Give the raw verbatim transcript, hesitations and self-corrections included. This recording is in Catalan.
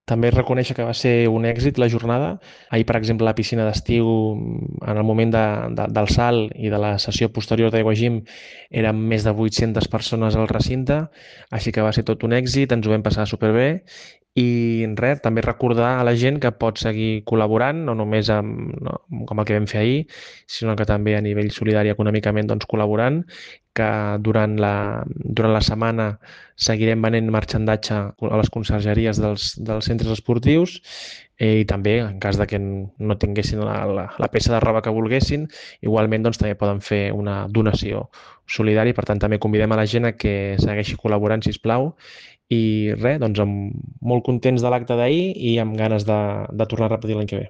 També reconèixer que va ser un èxit la jornada. Ahir, per exemple, a la piscina d'estiu, en el moment de, de, del salt i de la sessió posterior d'Aigua Gym, eren més de vuit-centes persones al recinte, així que va ser tot un èxit, ens ho vam passar superbé. I res, també recordar a la gent que pot seguir col·laborant, no només amb, no, com el que vam fer ahir, sinó que també a nivell solidari econòmicament doncs, col·laborant, que durant la, durant la setmana seguirem venent marxandatge a les consergeries dels, dels centres esportius eh, i també, en cas de que no tinguessin la, la, la peça de roba que volguessin, igualment doncs, també poden fer una donació solidària. Per tant, també convidem a la gent a que segueixi col·laborant, si us plau. I res, doncs amb molt contents de l'acte d'ahir i amb ganes de, de tornar a repetir l'any que ve.